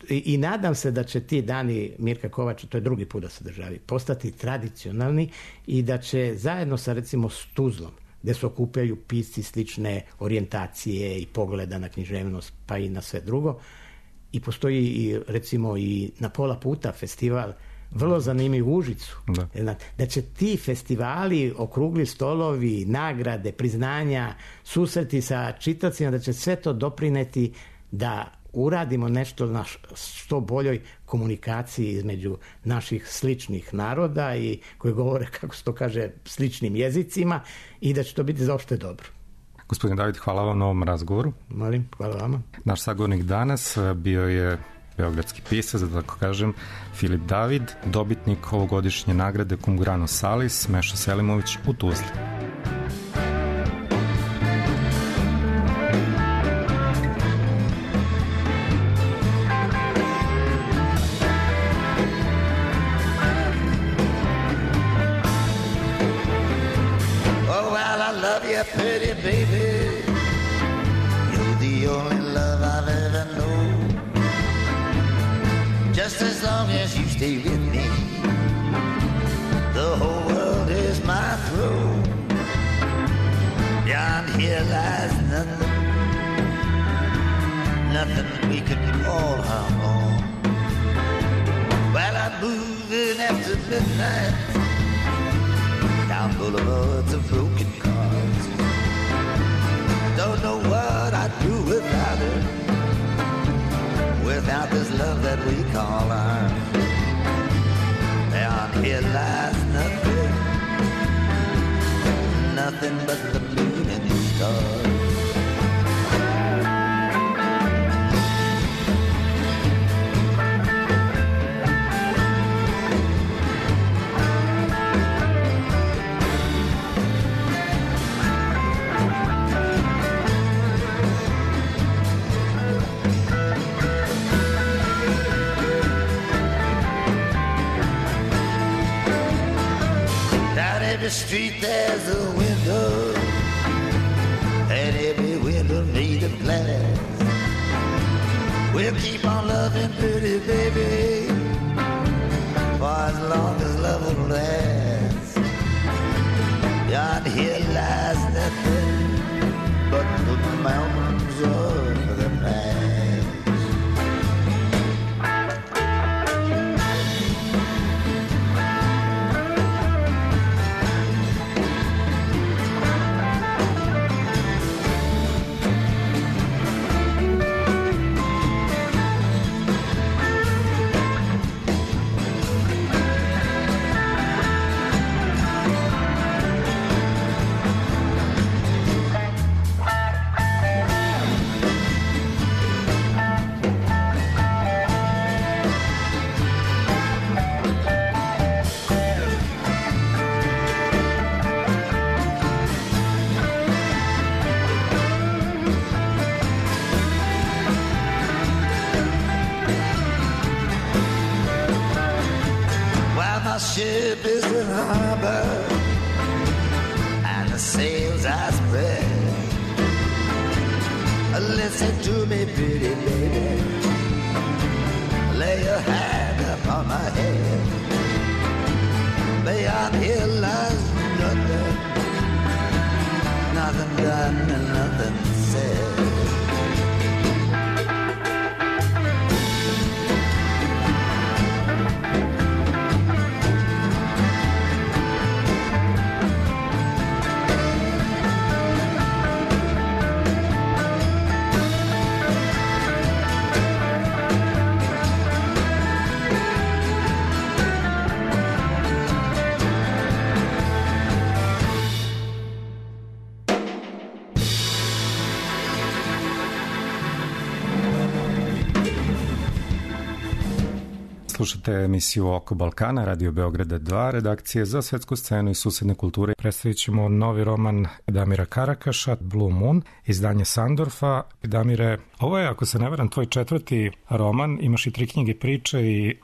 Speaker 5: i nadam se da će ti dani Mirka Kovača, to je drugi put da se državi, postati tradicionalni i da će zajedno sa recimo s Tuzlom, gde se okupljaju pisci slične orijentacije i pogleda na književnost pa i na sve drugo, i postoji i recimo i na pola puta festival vrlo zanimljiv u Užicu. Da će ti festivali, okrugli stolovi, nagrade, priznanja, susreti sa čitacima, da će sve to doprineti da uradimo nešto na što boljoj komunikaciji između naših sličnih naroda i koji govore, kako se to kaže, sličnim jezicima i da će to biti za opšte dobro.
Speaker 4: Gospodin David, hvala vam na ovom razgovoru.
Speaker 5: Molim, hvala vama.
Speaker 4: Naš sagovornik danas bio je beogradski pisac, da tako kažem, Filip David, dobitnik ovogodišnje nagrade Cum grano salis, Meša Selimović u Tuzli.
Speaker 6: Pretty baby, you're the only love I've ever known. Just as long as you stay with me, the whole world is my throne. Beyond here lies nothing, nothing we could call our own. While I'm moving after midnight down boulevards of broken cars, don't know what I'd do without her, without this love that we call ours. Beyond here lies nothing, nothing but the moon and the stars. Every street there's a window, and every window made of glass. We'll keep on loving pretty baby for as long as love will last. Beyond here lies nothing but the mountains of the past. Ship is in harbor and the sails are spread. Listen to me, pretty lady, lay your hand upon my head. beyond here lies nothing, nothing done and nothing said.
Speaker 4: Slušate emisiju Oko Balkana, Radio Beograda 2, redakcije za svetsku scenu i susedne kulture. Predstavit ćemo novi roman Damira Karakaša, Blue Moon, izdanje Sandorfa. Damire, ovo je, ako se ne varam, tvoj 4. roman, imaš i 3 knjige priče,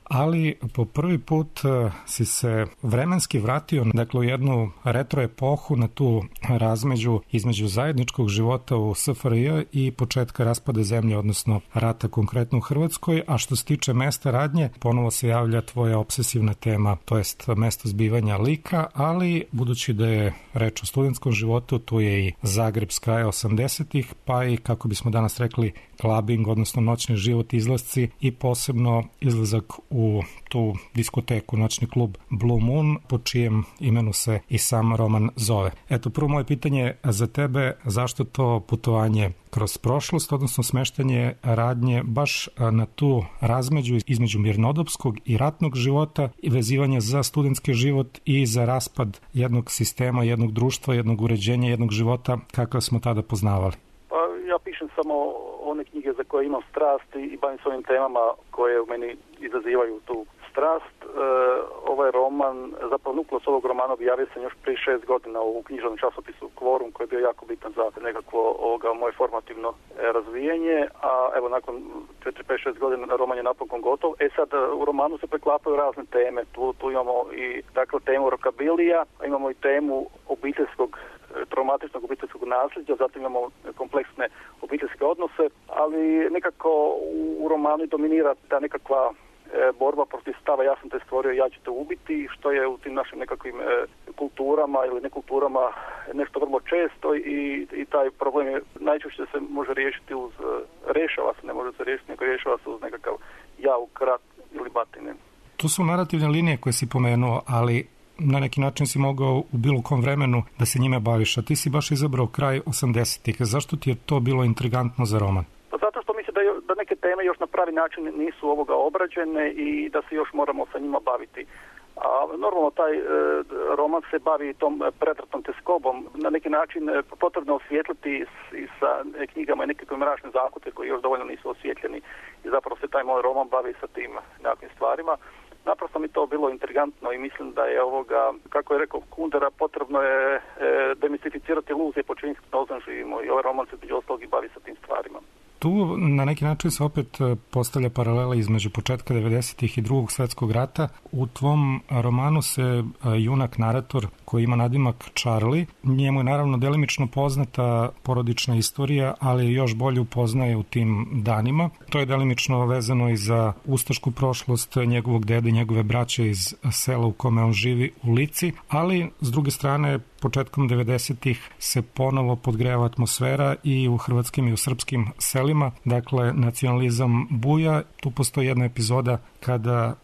Speaker 4: ali po prvi put si se vremenski vratio, dakle, u jednu retro epohu, na tu razmeđu između zajedničkog života u SFRJ i početka raspada zemlje, odnosno rata konkretno u Hrvatskoj, a što se tiče mesta radnje, ponovo se javlja tvoja obsesivna tema, to jest mesto zbivanja lika, ali budući da je reč o studentskom životu, tu je i Zagreb s kraja 80-ih, pa i, kako bismo danas rekli, clubbing, odnosno noćni život, izlasci i posebno izlazak u tu diskoteku, noćni klub Blue Moon, po čijem imenu se i sam roman zove. Eto, prvo moje pitanje za tebe, zašto to putovanje kroz prošlost, odnosno smeštanje radnje baš na tu razmeđu između mirnodopskog i ratnog života i vezivanje za studentski život i za raspad jednog sistema, jednog društva, jednog uređenja, jednog života kakav smo tada poznavali?
Speaker 7: Pa ja pišem samo one knjige za koje imam strast i bavim se ovim temama koje u meni izazivaju tu strast. Ovaj roman, zapravo nukleus ovog romana objavio sam još prije 6 godina u književnom časopisu Kvorum, koji je bio jako bitan za nekakvo moje formativno razvijenje, a evo nakon 4-5-6 godina roman je napokon gotov. Sad u romanu se preklapaju razne teme, tu imamo i dakle temu rokabilija, a imamo i temu traumatičnog obiteljskog nasljeđa, zatim imamo kompleksne obiteljske odnose, ali nekako u romanu dominira ta nekakva borba protiv stava ja sam te stvorio, ja ću te ubiti, što je u tim našim nekakvim kulturama ili nekulturama nešto vrlo često i taj problem je najčešće se može riješiti rješava se, ne može se riješiti, nego rješava se uz nekakav jauk, rat ili batine.
Speaker 4: Tu su narativne linije koje si pomenuo, ali na neki način si mogao u bilo kom vremenu da se njime baviš, a ti si baš izabrao kraj 80-ih. Zašto ti je to bilo intrigantno za roman?
Speaker 7: Zato što mislim da neke teme još na pravi način nisu obrađene i da se još moramo sa njima baviti. A normalno taj roman se bavi tom pretratnom teskobom. Na neki način potrebno osvijetliti i sa knjigama i nekakve mračne zakute koji još dovoljno nisu osvjetljeni i zapravo se taj moj roman bavi sa tim nekakvim stvarima. Naprosto mi to bilo intrigantno i mislim da je kako je rekao Kundera, potrebno je demistificirati iluzije po čijim gnozom živimo i ovaj roman se među ostalog i bavi sa tim stvarima.
Speaker 4: Tu na neki način se opet postavlja paralela između početka 90-ih i Drugog svjetskog rata. U tvom romanu se junak narator koji ima nadimak Charlie, njemu je naravno delimično poznata porodična istorija, ali još bolje upoznaje u tim danima. To je delimično vezano i za ustašku prošlost njegovog dede i njegove braće iz sela u kome on živi u Lici, ali s druge strane početkom 90-ih se ponovo podgreva atmosfera i u hrvatskim i u srpskim selima, dakle nacionalizam buja. Tu postoji jedna epizoda kada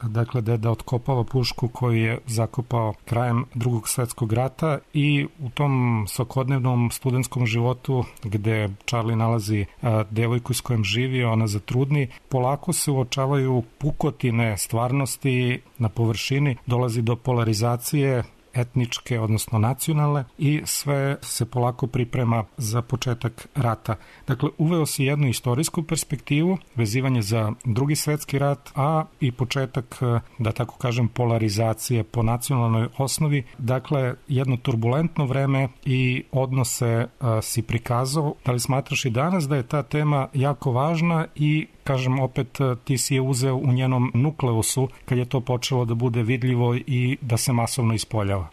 Speaker 4: deda otkopava pušku koju je zakopao krajem Drugog svjetskog rata i u tom svakodnevnom studentskom životu gde Charlie nalazi devojku s kojom živi, ona zatrudni, polako se uočavaju pukotine stvarnosti na površini, dolazi do polarizacije etničke, odnosno nacionalne i sve se polako priprema za početak rata. Dakle, uveo si jednu istorijsku perspektivu, vezivanje za Drugi svjetski rat, a i početak, da tako kažem, polarizacije po nacionalnoj osnovi. Dakle, jedno turbulentno vreme i odnose si prikazao. Da li smatraš i danas da je ta tema jako važna i kažem opet, ti si je uzeo u njenom nukleusu kad je to počelo da bude vidljivo i da se masovno ispoljava?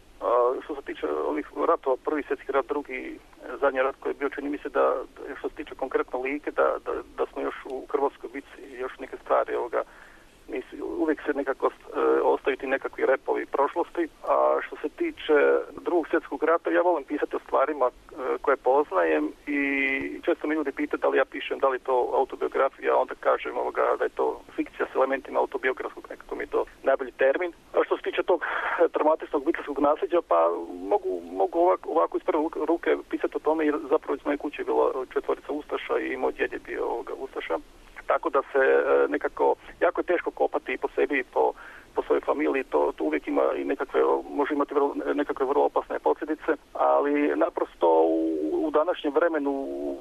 Speaker 7: Što se tiče ovih ratova, Prvi svjetski rat, drugi, zadnji rat koji je bio, čini mi se da što se tiče konkretno Like, da smo još u Hrvatskoj bitci još neke stvari uvijek se nekako ostaju ti nekakvi repovi prošlosti. A me pita da li ja pišem, da li to autobiografija, onda kažem da je to fikcija s elementima autobiografskog, nekako mi je to najbolji termin. A što se tiče tog traumatičnog obiteljskog nasljeđa, pa mogu ovako iz prve ruke pisati o tome, jer zapravo iz moje kuće je bilo 4 ustaša i moj djed je bio ustaša. Tako da se nekako, jako je teško kopati po sebi i po svojoj familiji, to uvijek ima i može imati nekakve vrlo opasne posljedice, ali naprosto u današnjem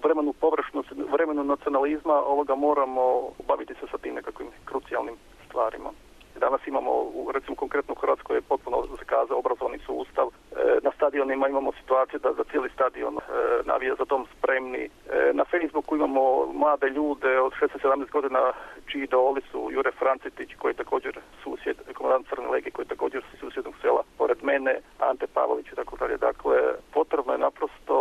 Speaker 7: vremenu površnosti, vremenu nacionalizma moramo baviti se sa tim nekakvim krucijalnim stvarima. Danas imamo, recimo konkretno u Hrvatskoj je potpuno zakazao obrazovni sustav. Na stadionima imamo situaciju da cijeli stadion navija za dom spremni. Na Facebooku imamo mlade ljude od 16-17 godina čiji idoli su Jure Francetić, koji je također susjed, komandant Crne legije, koji je također susjednog sela pored mene, Ante Pavelić i tako dalje. Dakle, potrebno je naprosto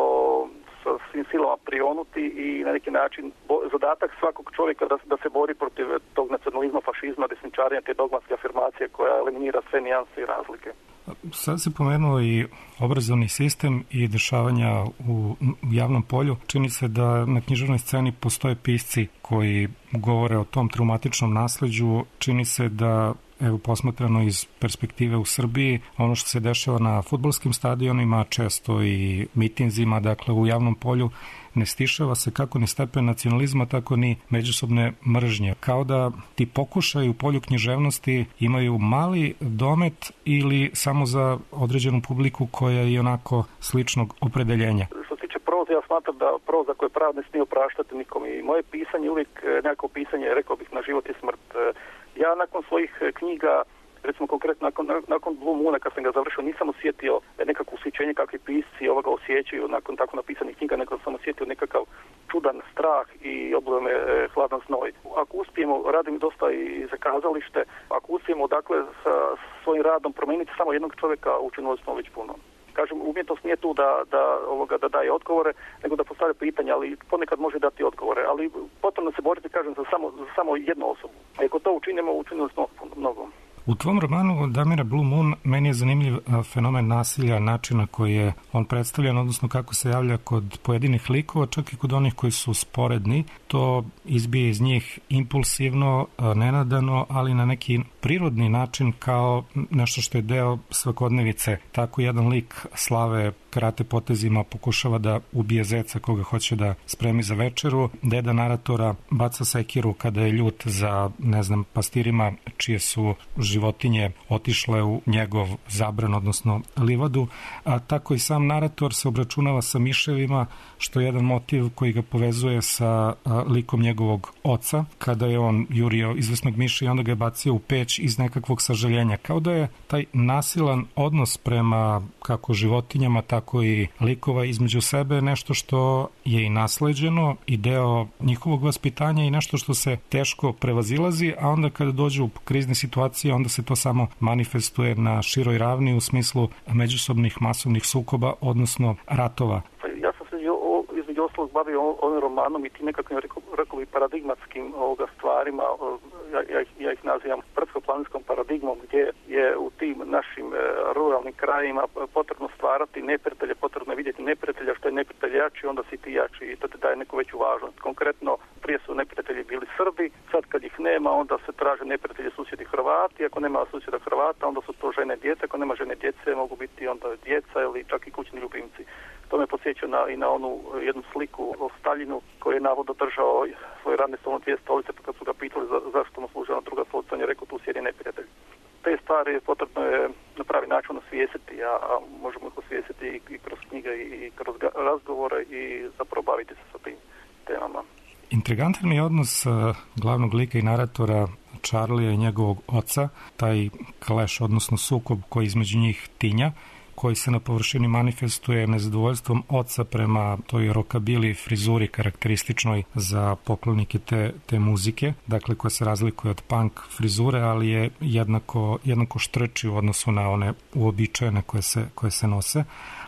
Speaker 7: sa svim silama prionuti i na neki način zadatak svakog čovjeka da se bori protiv tog nacionalizma, fašizma, desničarenja, te dogmatske afirmacije koja eliminira sve nijanse i razlike.
Speaker 4: Sad se pomenuo i obrazovni sistem i dešavanja u javnom polju. Čini se da na književnoj sceni postoje pisci koji govore o tom traumatičnom nasleđu. Čini se da, evo posmatrano iz perspektive u Srbiji, ono što se dešava na fudbalskim stadionima, često i mitinzima, dakle u javnom polju, ne stišava se kako ni stepen nacionalizma, tako ni međusobne mržnje. Kao da ti pokušaj u polju književnosti imaju mali domet ili samo za određenu publiku koja je onako sličnog opredeljenja.
Speaker 7: Što se tiče proze, ja smatram da proza koja je prava ne smije opraštati nikom i moje pisanje uvijek nekako pisanje, rekao bih, na život i smrt. Ja nakon svojih knjiga, recimo konkretno nakon Blue Moona, kad sam ga završio, nisam osjetio nekakvo usjećenje kakvi pisci osjećaju nakon tako napisanih knjiga, nego sam osjetio nekakav čudan strah i oblio me hladan znoj. Ako uspijemo, radim dosta i za kazalište, ako uspijemo dakle sa svojim radom promijeniti samo jednog čovjeka, učinili smo već puno. Kažem, umjetnost nije tu da daje odgovore, nego da postavlja pitanja, ali ponekad može dati odgovore, ali potrebno se boriti, kažem, za samo jednu osobu. A ako to učinimo, učinili smo mnogo.
Speaker 4: U tvom romanu Damira Blue Moon meni je zanimljiv fenomen nasilja, načina koji je on predstavljan, odnosno kako se javlja kod pojedinih likova, čak i kod onih koji su sporedni. To izbije iz njih impulsivno, nenadano, ali na neki prirodni način kao nešto što je deo svakodnevice. Tako jedan lik Slave karate potezima pokušava da ubije zeca koga hoće da spremi za večeru. Deda naratora baca sekiru kada je ljut za, pastirima čije su životinje otišle u njegov zabran, odnosno livadu. A tako i sam narator se obračunava sa miševima, što je jedan motiv koji ga povezuje sa likom njegovog oca, kada je on jurio izvesnog miša i onda ga je bacio u peć iz nekakvog sažaljenja. Kao da je taj nasilan odnos prema kako životinjama, tako i likova između sebe nešto što je i nasleđeno i deo njihovog vaspitanja i nešto što se teško prevazilazi, a onda kada dođe u krizne situacije, onda se to samo manifestuje na široj ravni u smislu međusobnih masovnih sukoba, odnosno ratova.
Speaker 7: Ja sam se između ostalog bavio ovim romanom i tim nekakvim, rekao bi, paradigmatskim stvarima. Ja ih nazivam brdsko-planinskom paradigmom, gdje je u tim našim ruralnim krajima potrebno stvarati neprijatelje, potrebno je vidjeti neprijatelja, što je neprijatelj jači, onda si ti jači i to te daje neku veću važnost. Konkretno, prije su neprijatelji bili Srbi, sad kad ih nema, onda se traže neprijatelji susjedi Hrvati, ako nema susjeda Hrvata, onda su to žene i djece, ako nema žene djece, mogu biti onda djeca ili čak i kućni ljubimci. To me podsjeća i na onu jednu sliku o Staljinu koji je navodno držao svoje radne stolno 2 stolice, pa kad su ga pitali zašto mu služila druga stolica, on je rekao tu sjedi neprijatelj. Te stvari potrebno je na pravi način osvijestiti, a možemo ih osvijestiti i kroz knjige i kroz razgovore i zapravo baviti se sa tim temama.
Speaker 4: Intrigantan mi je odnos glavnog lika i naratora Charlija i njegovog oca, taj clash, odnosno sukob koji između njih tinja, koji se na površini manifestuje nezadovoljstvom oca prema toj rockabilly frizuri karakterističnoj za poklonike te muzike, dakle koja se razlikuje od punk frizure, ali je jednako štrči u odnosu na one uobičajene koje se nose.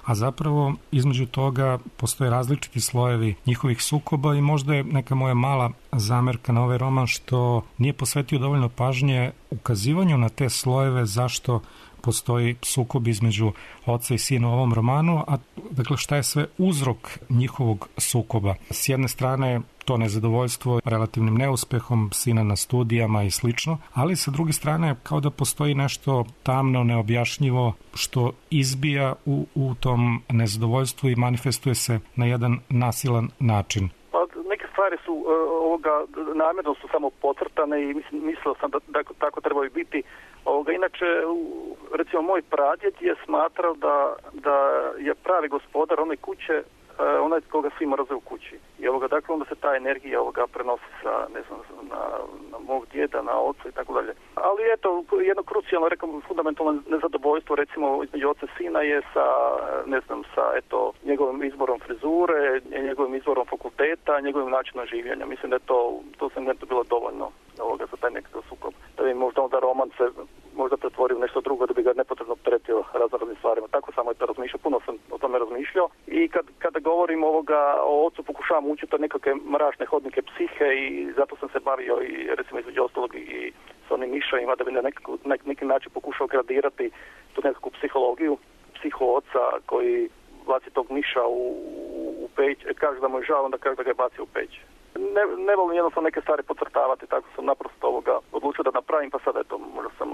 Speaker 4: A zapravo između toga postoje različiti slojevi njihovih sukoba i možda je neka moja mala zamerka na ovaj roman što nije posvetio dovoljno pažnje ukazivanju na te slojeve zašto postoji sukob između oca i sina u ovom romanu, a dakle šta je sve uzrok njihovog sukoba. S jedne strane to nezadovoljstvo relativnim neuspehom sina na studijama i slično, ali sa druge strane kao da postoji nešto tamno, neobjašnjivo što izbija u tom nezadovoljstvu i manifestuje se na jedan nasilan način.
Speaker 7: Neke stvari su namjerno su samo podcrtane i mislio sam da tako trebaju biti. Inače, recimo moj pradjed je smatrao da je pravi gospodar one kuće onaj koga svi mrze u kući. I dakle onda se ta energija prenosi sa, ne znam, na mog djeda, na oca i tako dalje. Ali eto, jedno krucijalno, rekao, fundamentalno nezadovoljstvo recimo između oca i sina je sa, ne znam, sa eto njegovim izborom frizure, njegovim izborom fakulteta, njegovim načinom življenja. Mislim da je to sam bilo dovoljno za taj nekakav sukob. Da bi možda onda roman se možda pretvorio nešto drugo, da bi ga nepotrebno opteretio raznim stvarima. Tako samo je to razmišljao, puno sam o tome razmišljao. I kada govorim o ocu, pokušavam učiti od nekakve mračne hodnike psihe i zato sam se bavio i recimo između ostalog i s onim mišljajima da bi na neki način pokušao gradirati tu nekakvu psihologiju, psiho oca koji baci tog miša u peć, kaže da mu je žao, onda kaže da ga je bacio u peć. Ne volim jednostavno neke stvari podcrtavati, tako sam naprosto odlučio da napravim, pa sada možda sam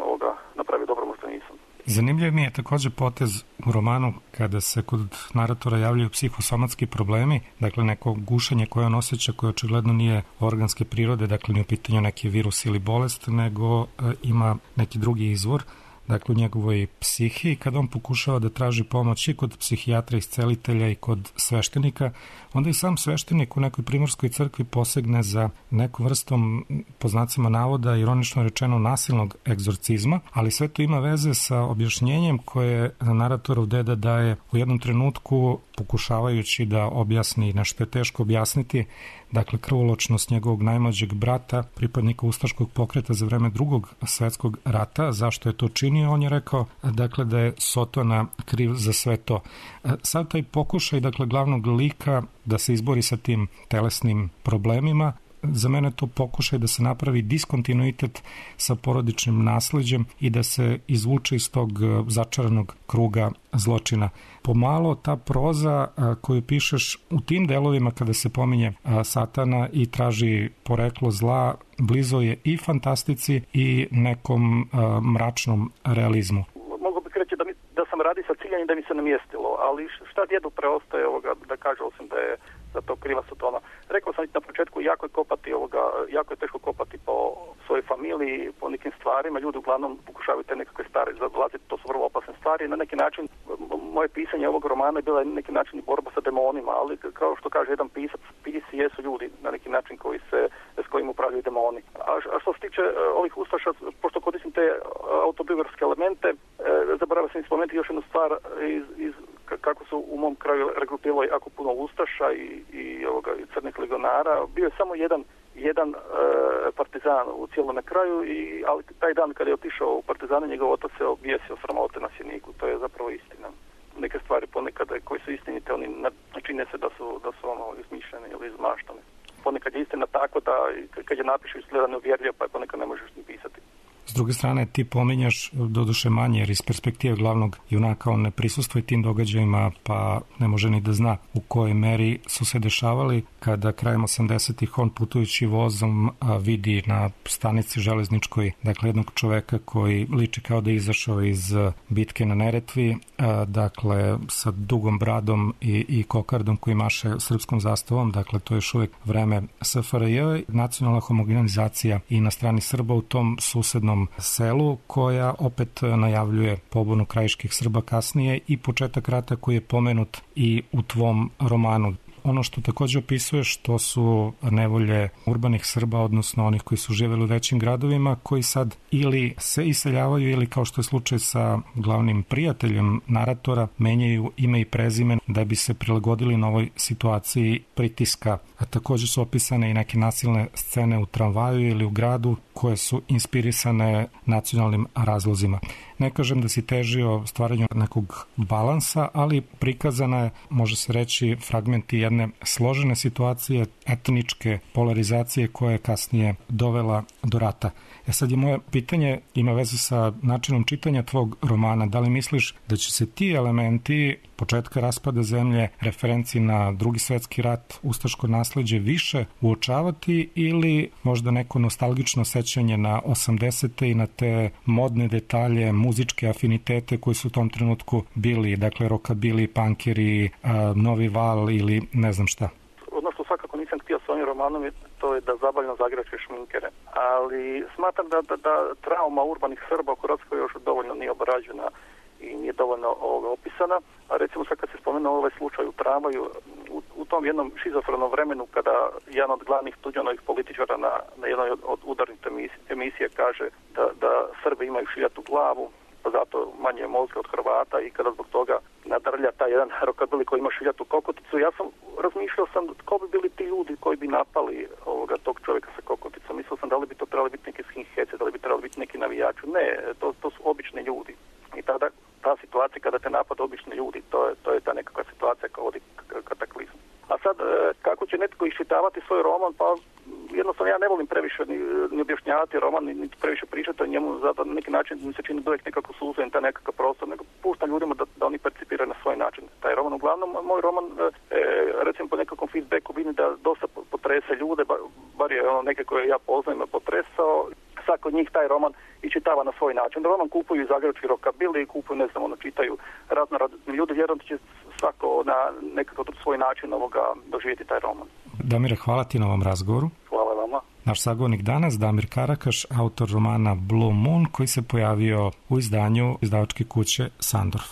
Speaker 7: napravio dobro, možda nisam.
Speaker 4: Zanimljiv mi je također potez u romanu kada se kod naratora javljaju psihosomatski problemi, dakle neko gušenje koje on osjeća koje očigledno nije organske prirode, dakle nije u pitanju neki virus ili bolest, nego ima neki drugi izvor, dakle u njegovoj psihi. Kada on pokušava da traži pomoć i kod psihijatra, iscelitelja i kod sveštenika, onda i sam sveštenik u nekoj primorskoj crkvi posegne za nekom vrstom, po znacima navoda, ironično rečeno nasilnog egzorcizma, ali sve to ima veze sa objašnjenjem koje naratorov deda daje u jednom trenutku pokušavajući da objasni nešto je teško objasniti, dakle krvoločnost njegovog najmlađeg brata, pripadnika ustaškog pokreta za vreme Drugog svjetskog rata. Zašto je to činio? On je rekao dakle da je Sotona kriv za sve to. Sad taj pokušaj dakle glavnog lika da se izbori sa tim telesnim problemima, za mene to pokušaj da se napravi diskontinuitet sa porodičnim nasleđem i da se izvuče iz tog začaranog kruga zločina. Pomalo ta proza koju pišeš u tim delovima kada se pominje satana i traži poreklo zla, blizo je i fantastici i nekom mračnom realizmu.
Speaker 7: Mogu bih reći da sam radi sa ciljanjem da mi se namjestilo, ali šta djedu preostaje da kaže osim da je za to kriva Sotona. Rekao sam na početku, jako je teško kopati po svojoj familiji, po nekim stvarima. Ljudi uglavnom pokušavaju te nekakve stvari zavlaziti, to su vrlo opasne stvari. Na neki način, moje pisanje ovog romana je bila na neki način borba sa demonima, ali kao što kaže jedan pisac, pisci jesu ljudi na neki način s kojim upravljaju demoni. A što se tiče ovih ustaša, pošto koristim te autobiografske elemente, zaboravio sam spomenuti još jednu stvar iz kako su u mom kraju regrutirali jako puno ustaša i crnih legionara. Bio je samo jedan partizan u cijelome kraju, ali taj dan kada je otišao u partizane, njegov otac se objesio sramote na sjeniku. To je zapravo istina. Neke stvari ponekad koje su istinite, oni čine se da su izmišljene ili izmaštane. Ponekad je istina tako da kad je napišu izgleda neuvjerljivo, pa ponekad ne možeš ni pisati.
Speaker 4: S druge strane, ti pominjaš doduše manje, jer iz perspektive glavnog junaka on ne prisustvuje tim događajima, pa ne može ni da zna u kojoj meri su se dešavali kada krajem 80-ih on putujući vozom vidi na stanici železničkoj, dakle jednog čoveka koji liči kao da je izašao iz bitke na Neretvi, dakle sa dugom bradom i kokardom koji maše srpskom zastavom, dakle to je još uvijek vreme SFRJ, nacionalna homogenizacija i na strani Srba u tom susednom selu, koja opet najavljuje pobunu krajiških Srba kasnije i početak rata koji je pomenut i u tvom romanu. Ono što također opisuješ, to su nevolje urbanih Srba, odnosno onih koji su živjeli u većim gradovima, koji sad ili se iseljavaju ili, kao što je slučaj sa glavnim prijateljem naratora, menjaju ime i prezime da bi se prilagodili novoj situaciji pritiska. A također su opisane i neke nasilne scene u tramvaju ili u gradu koje su inspirisane nacionalnim razlozima. Ne kažem da si težio stvaranju nekog balansa, ali prikazana je, može se reći, fragmenti jedne složene situacije, etničke polarizacije koja je kasnije dovela do rata. Sad je moje pitanje, ima veze sa načinom čitanja tvog romana. Da li misliš da će se ti elementi početka raspada zemlje, referenci na Drugi svetski rat, ustaško nasleđe više uočavati ili možda neko nostalgično sećanje na 80. i na te modne detalje, muzičke afinitete koji su u tom trenutku bili, dakle rokabili, punkeri, novi val ili ne znam šta?
Speaker 7: Ono što svakako nisam htio s ovim romanom je to je da zabavljeno zagrače šminkere. Ali smatram da trauma urbanih Srba u Hrvatskoj još dovoljno nije obrađena i nije dovoljno opisana. A recimo sad kad se spomenuo ovaj slučaj u tramvaju, u tom jednom šizofrenom vremenu kada jedan od glavnih Tuđmanovih političara na jednoj od udarnih emisija kaže da Srbi imaju šiljatu glavu, pa zato manje mozga od Hrvata i kada zbog toga nadrlja taj jedan rokabili koji ima šiljatu kokoticu. Ja sam razmišljao ko bi bili ti ljudi koji bi napali tog čovjeka sa kokoticom. Mislio sam da li bi to trebali biti neki skinheads, da li bi trebali biti neki navijači. Ne, to su obični ljudi. I tada ta situacija kada te napada obični ljudi, to je ta nekakva situacija kao vodi kataklizmu. A sad, kako će netko iščitavati svoj roman, pa jednostavno ja ne volim previše ni objašnjavati roman, ni previše pričati o njemu, zato na neki način mi se čini uvijek nekako suzujem taj nekakav prostor, nego puštam ljudima da oni percipiraju na svoj način taj roman. Uglavnom, moj roman, recimo po nekakvom feedbacku vidim da dosta potrese ljude, bar je neke koje ja poznajem potresao, svako od njih taj roman i čitava na svoj način. Roman kupuju i zagrebački rokabili, kupuju, ne znam, čitaju razni ljudi, vjerojatno će svako na nekakav svoj način doživjeti taj roman.
Speaker 4: Damire, hvala ti na ovom razgovoru.
Speaker 7: Hvala vama.
Speaker 4: Naš sagovornik danas, Damir Karakaš, autor romana Blue Moon, koji se pojavio u izdanju izdavačke kuće Sandorf.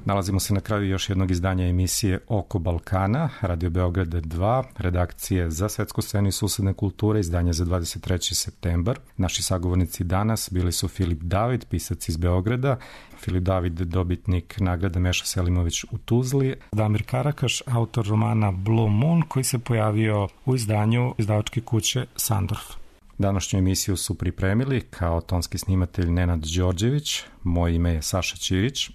Speaker 4: Nalazimo se na kraju još jednog izdanja emisije Oko Balkana, Radio Beograd 2, redakcije za svetsku scenu i susedne kulture, izdanje za 23. septembar. Naši sagovornici danas bili su Filip David, pisac iz Beograda, Filip David, dobitnik nagrada Meša Selimović u Tuzli, Damir Karakaš, autor romana Blue Moon, koji se pojavio u izdanju izdavačke kuće Sandorf. Današnju emisiju su pripremili kao tonski snimatelj Nenad Đorđević, moje ime je Saša Ćirić.